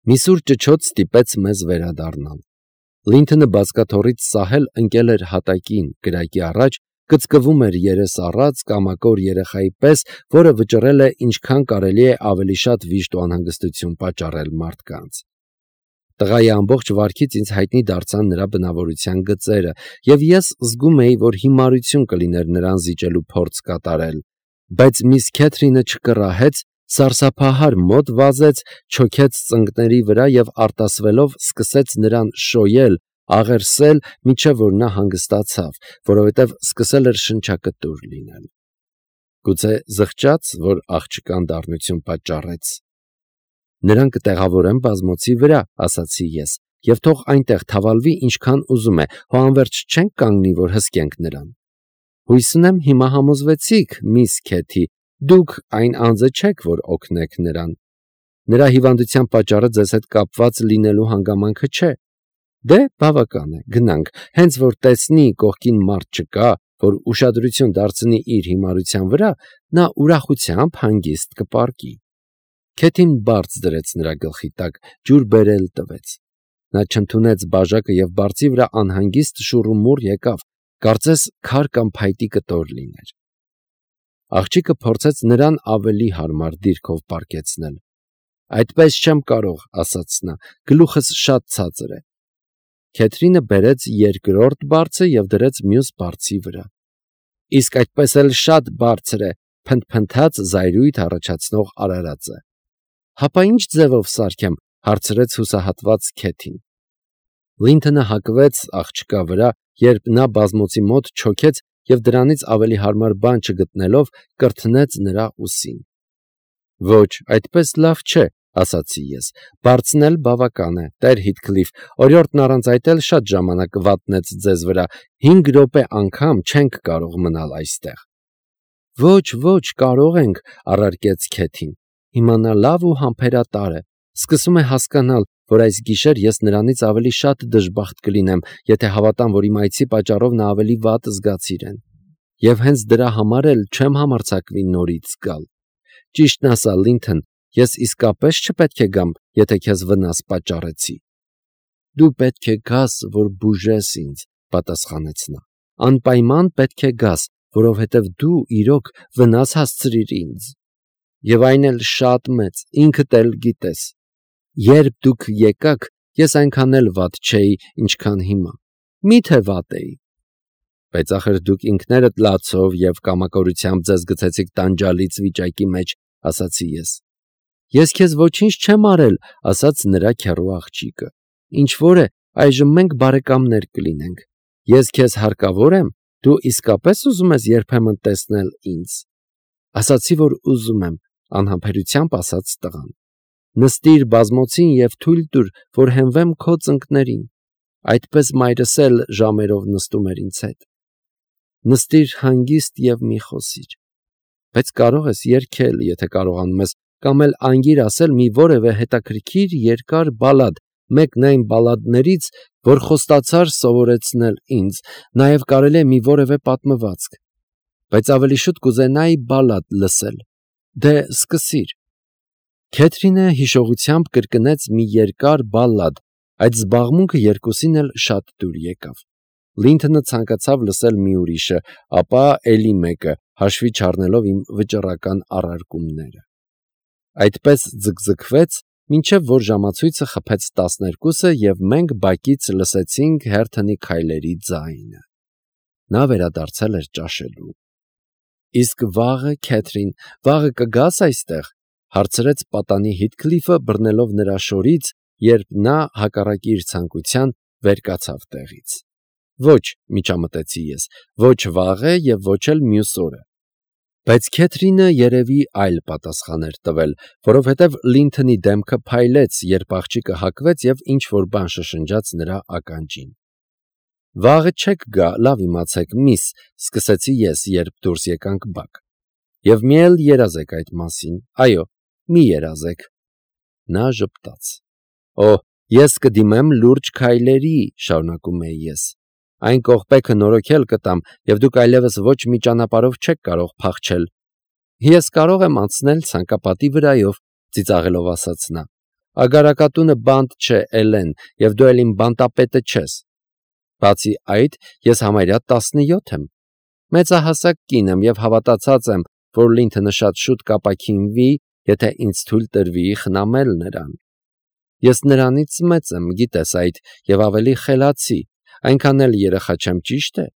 Մի սուր ճչոց ստիպեց մեզ վերադառնալ։ Լինթոնը բազկաթոռից սահել ընկել էր հատակին, կրակի առաջ, կծկվում էր երես առած կամակոր երեխայի պես, որը վճռել է ինչքան կարելի է ավելի շատ վիշտ ու անհանգստություն պատճառել մարդկանց։ Տղայի ամբողջ վարքից ինձ հայտնի դարձան նրա բնավորության գծերը, և ես զգում էի, որ հիմարություն կլիներ նրան զիջելու փորձ կատարել, բայց միս Քեթրինը չկռահեց, սարսափահար մոտ վազեց, չոքեց ծնկների վրա և արտասվելով սկսեց նրան շոյել, աղերսել, մինչև որ նա հանգստացավ, որովհետև սկսել էր շնչակտուր լինել։ Գուցե զղջաց, որ աղջկան դառնություն պատճառեց։ Նրան կտեղավորեմ բազմոցի վրա, ասացի ես, և թող այնտեղ թավալվի ինչքան ուզում է, հո անվերջ չենք կանգնի, որ հսկենք նրան։ Հույս ունեմ հիմա համոզվեցիք, միս Քեթի, դուք այն անձը չեք, որ օգնեք նրան։ Նրա հիվանդության պատճառը ձեզ հետ կապված լինելու հանգամանքը չէ։ Դե բավական է, գնանք, հենց որ տեսնի կողքին մարդ չկա, որ ուշադրություն դարձնի իր հիմարության վրա, նա ուրախությամբ հանգիստ կպառկի։ Քեթին բարձ դրեց նրա գլխի տակ, ջուր բերել տվեց։ Նա չընդունեց բաժակը և բարձի վրա անհանգիստ շուռումուռ եկավ, կարծես քար կամ փայտի կտոր լիներ։ Աղջիկը փորձեց նրան ավելի հարմար դիրքով պառկեցնել։ Այդպես չեմ կարող, ասաց նա, գլուխս շատ ցածր է։ Քեթրինը բերեց երկրորդ բարձը և դրեց մյուս բարձի վրա։ Իսկ այդպես էլ շատ բարձր է, փնթփնթաց զայրույթ առաջացնող արարածը։ Հապա ինչ ձևով սարքեմ, հարցրեց հուսահատված Քեթին։ Լինթոնը հակվեց աղջկա վրա, երբ նա բազմոցի մոտ չոքեց և դրանից ավելի հարմար բան չգտնելով, կրթնեց նրա ուսին։ Ոչ, այդպես լավ չէ, ասացի ես, բարձն էլ բավական է, տեր Հիթքլիֆ, օրիորդն առանց այդ էլ շատ ժամանակ վատնեց ձեզ վրա, 5 րոպե անգամ չենք կարող մնալ այստեղ։ Ոչ, կարող ենք, առարկեց Քեթին, հիմա նա լավ ու համբերատար է, սկսում է հասկանալ, որ այս գիշեր ես նրանից ավելի շատ դժբախտ կլինեմ, եթե հավատամ, որ իմ այցի պատճառով նա ավելի վատ զգաց իրեն։ Եվ հենց դրա համար էլ չեմ համարձակվի նորից գալ։ Ճիշտն ասա, Լինթոն, ես իսկապես չպետք է գամ, եթե քեզ վնաս պատճառեցի։ Դու պետք է գաս, որ բուժես ինձ, պատասխանեց նա։ Անպայման պետք է գաս, որովհետև դու իրոք վնաս հասցրիր ինձ։ Եվ այն էլ շատ մեծ, ինքդ էլ գիտես։ Երբ դուք եկաք, ես այնքան էլ վատ չէի, ինչքան հիմա։ Մի՞թե վատ էի։ Բայց ախր դուք ինքներդ լացով և կամակորությամբ ձեզ գցեցիք տանջալից վիճակի մեջ, ասացի ես։ Ես քեզ ոչինչ չեմ արել, ասաց նրա քեռու աղջիկը։ Ինչ որ է, այժմ մենք բարեկամներ կլինենք։ Ես քեզ հարկավոր եմ, դու իսկապես ուզում ես երբեմն տեսնել ինձ։ Ասացի, որ ուզում եմ, անհամբերությամբ ասաց տղան։ Նստիր բազմոցին և թույլ տուր, որ հենվեմ քո ծնկներին։ Այդպես մայրս էլ ժամերով նստում էր ինձ հետ։ Նստիր հանգիստ և մի խոսիր։ Բայց կարող ես երգել, եթե կարողանում ես, կամ էլ անգիր ասել մի որևէ հետաքրքիր երկար բալադ, մեկն այն բալադներից, որ խոստացար սովորեցնել ինձ, նաև կարելի է մի որևէ պատմվածք։ Բայց ավելի շուտ կուզենայի բալադ լսել։ Դե սկսիր։ Քեթրինը հիշողությամբ կրկնեց մի երկար բալլադ, այդ զբաղմունքը երկուսին էլ շատ դուր եկավ։ Լինթոնը ցանկացավ լսել մի ուրիշը, ապա էլի մեկը, հաշվի չառնելով իմ վճռական առարկումները։ Այդպես ձգձգվեց, մինչև որ ժամացույցը խփեց 12-ը և մենք բակից լսեցինք Հերթոնի քայլերի ձայնը։ Նա վերադարձել էր ճաշելու։ Իսկ վաղը, Քեթրին, վաղը կգաս այստեղ, հարցրեց պատանի Հիթքլիֆը, բռնելով նրա շորից, երբ նա հակառակ իր ցանկության վեր կացավ տեղից։ Ոչ, միջամտեցի ես, ոչ վաղը և ոչ էլ մյուս օրը։ Բայց Քեթրինը երևի այլ պատասխան էր տվել, որովհետև Լինթոնի դեմքը փայլեց, երբ աղջիկը հակվեց և ինչ-որ բան շշնջաց նրա ականջին։ Վաղը չեք գա, լավ իմացեք, միս, սկսեցի ես, երբ դուրս եկանք բակ։ Եվ մի էլ երազեք այդ մասին, այո, մի երազեք։ Նա ժպտաց։ Օ, ես կդիմեմ լուրջ քայլերի, շարունակում էի ես։ Այն կողպեքը նորոգել կտամ, և դուք այլևս ոչ մի ճանապարհով չեք կարող փախչել։ Ես կարող եմ անցնել ցանկապատի վրայով, ծիծաղելով ասաց նա։ Ագարակատունը բանտ չէ, Էլեն, եւ դու էլ իմ բանտապետը չես։ Բացի այդ, ես համարյա 17 եմ։ Մեծահասակ կին եմ եւ հավատացած եմ, որ Լինթոնը շատ շուտ կապաքինվի, եթե ինձ թույլ տրվի խնամել նրան։ Ես նրանից մեծ եմ, գիտես այդ, եւ ավելի խելացի, այնքան էլ երեխա չեմ, ճիշտ է։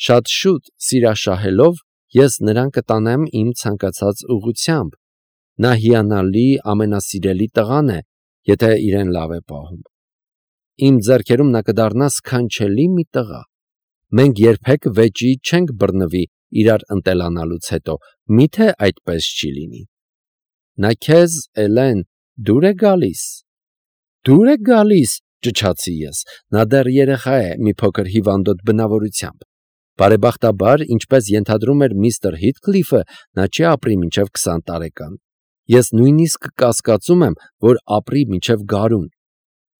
Շատ շուտ, սիրաշահելով, ես նրան կտանեմ իմ ցանկացած ուղղությամբ։ Նա հիանալի, ամենասիրելի տղան է, եթե իրեն լավ է պահում։ Իմ ձեռքերում նա կդառնա սքանչելի մի տղա։ Մենք երբեք վեճի չենք բռնվի իրար ընտելանալուց հետո, միթե այդպես չի լինի։ Նա քեզ, Էլեն, դուր է գալիս։ Դուր է գալիս, ճչացի ես։ Նա դեռ երեխա է, մի փոքր հիվանդոտ բնավորությամբ։ Բարեբախտաբար, ինչպես ենթադրում էր միստր Հիթքլիֆը, նա չի ապրի մինչև 20 տարեկան։ Ես նույնիսկ կասկածում եմ, որ ապրի մինչև գարուն։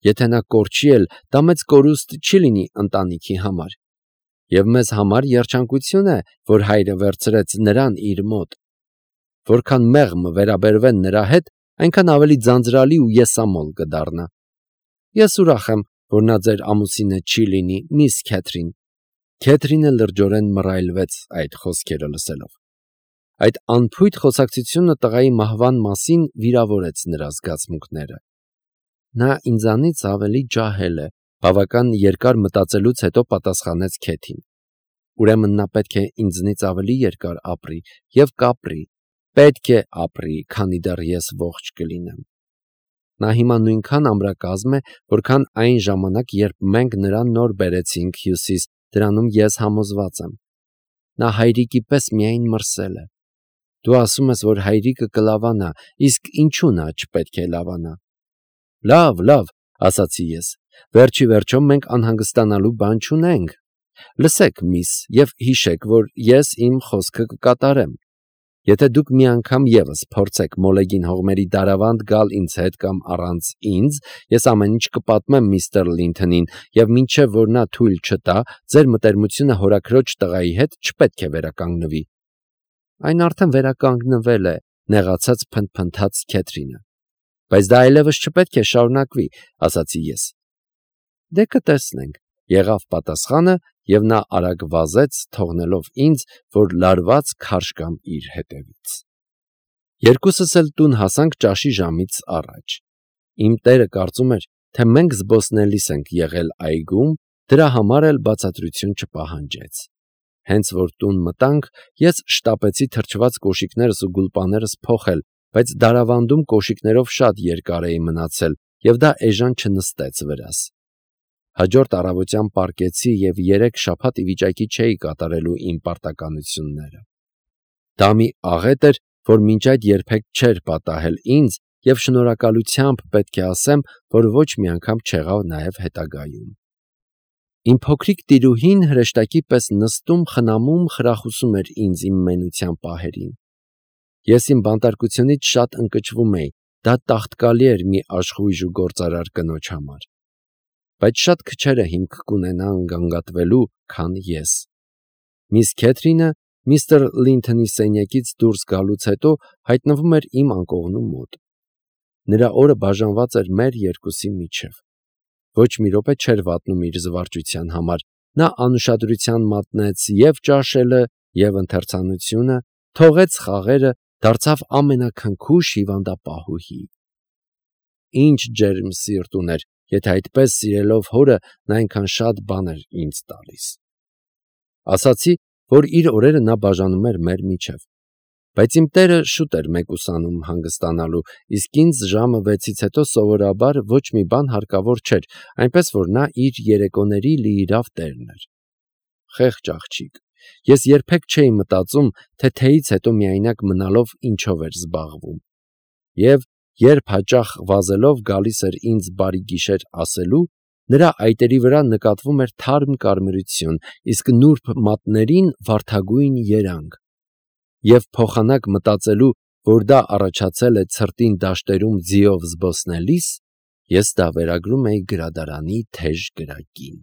Եթե նա կորչի էլ, դա մեծ կորուստ չի լինի ընտանիքի համար։ Եվ մեզ համար երջանկություն է, որ հայրը վերցրեց նրան իր մոտ։ Որքան մեղմ վերաբերվեն նրա հետ, այնքան ավելի ձանձրալի ու եսամոլ կդառնա։ Ես ուրախ եմ, որ նա ձեր ամուսինը չի լինի, միս Քեթրին։ Քեթրինը լրջորեն մռայլվեց այդ խոսքերը լսելով։ Այդ անփույթ խոսակցությունը տղայի մահվան մասին վիրավորեց նրա զգացմունքները։ Նա ինձանից ավելի ջահել է, բավական երկար մտածելուց հետո պատասխանեց Քեթին։ Ուրեմն նա պետք է ինձնից ավելի երկար ապրի եւ կապրի, պետք է ապրի, քանի դեռ ես ողջ կլինեմ։ Նա հիմա նույնքան ամրակազմ է, որքան այն ժամանակ, երբ մենք նրան նոր բերեցինք Հյուսիս, դրանում ես համոզված եմ։ Նա հայրիկի պես միայն մրսել է։ Դու ասում ես, որ հայրիկը կլավանա, իսկ ինչու նա չպետք է լավանա։ Լավ, ասացի ես։ Վերջի վերջո մենք անհանգստանալու բան չունենք։ Լսեք, միս, եւ հիշեք, որ ես իմ խոսքը կկատարեմ։ Եթե դուք մի անգամ եւս փորձեք մոլեգին հողմերի դարավանդ գալ ինձ հետ կամ առանց ինձ, ես ամեն ինչ կպատմեմ միստր Լինթոնին, եւ մինչեւ որ նա թույլ չտա, ձեր մտերմությունը հորաքրոջ տղայի հետ չպետք է վերականգնվի։ Այն արդեն վերականգնվել է, նեղացած փնթփնթաց Քեթրինը։ Բայց դա այլևս չպետք է շարունակվի, ասացի ես։ Դե կտեսնենք, եղավ պատասխանը, եւ նա արագ վազեց, թողնելով ինձ, որ լարված քարշ կամ իր հետևից։ Երկուսս էլ տուն հասանք ճաշի ժամից առաջ։ Իմ տերը կարծում էր, թե մենք զբոսնելիս ենք եղել այգում, դրա համար էլ բացատրություն չպահանջեց։ Հենց որ տուն մտանք, ես շտապեցի թրջված կոշիկներս ու գուլպաներս փոխել, բայց դարավանդում կոշիկներով շատ երկար էի մնացել, եւ դա էժան չնստեց վրաս։ Հաջորդ առավոտյան պառկեցի եւ 3 շաբաթ ի վիճակի չէի կատարելու իմ պարտականությունները։ Դա մի աղետ էր, որ մինչ այդ երբեք չէր պատահել ինձ, եւ շնորհակալությամբ պետք է ասեմ, որ ոչ մի անգամ չեղավ նաեւ հետագայում։ Իմ փոքրիկ տիրուհին հրեշտակի պես նստում, խնամում, խրախուսում էր ինձ իմ մենության պահերին։ Ես իմ բանտարկությունից շատ ընկճվում էի, դա տաղտկալի էր մի աշխույժ ու գործարար կնոջ համար։ Բայց շատ քչերը հիմք կունենան գանգատվելու, քան ես։ Միս Քեթրինը միստր Լինթոնի սենյակից դուրս գալուց հետո հայտնվում էր իմ անկողնու մոտ։ Նրա օրը բաժանված էր մեր երկուսի միջև։ Ոչ մի րոպե չէր վատնում իր զվարճության համար։ Նա անուշադրության մատնեց եւ ճաշելը, եւ ընթերցանությունը, թողեց խաղերը, դարձավ ամենաքնքուշ հիվանդապահուհի։ Ինչ ջերմ սիրտ ուներ, եթե այդպես սիրելով հորը նա այնքան շատ բան էր ինձ տալիս։ Ասացի, որ իր օրերը նա բաժանում էր մեր միջև։ Բայց իմ տերը շուտ էր մեկուսանում հանգստանալու, իսկ ինձ ժամը 6-ից հետո սովորաբար ոչ մի բան հարկավոր չէր, այնպես որ նա իր երեկոների լիիրավ տերն էր։ Խեղճ աղջիկ, ես երբեք չէի մտածում, թե թեյից հետո միայնակ մնալով ինչով էր զբաղվում։ Եվ երբ հաճախ վազելով գալիս էր ինձ բարի գիշեր ասելու, նրա այտերի վրա նկատվում էր թարմ կարմրություն, իսկ նուրբ մատներին վարդագույն երանգ։ Եվ փոխանակ մտածելու, որ դա առաջացել է ցրտին դաշտերում ձիով զբոսնելիս, ես դա վերագրում էի գրադարանի թեժ գրակին։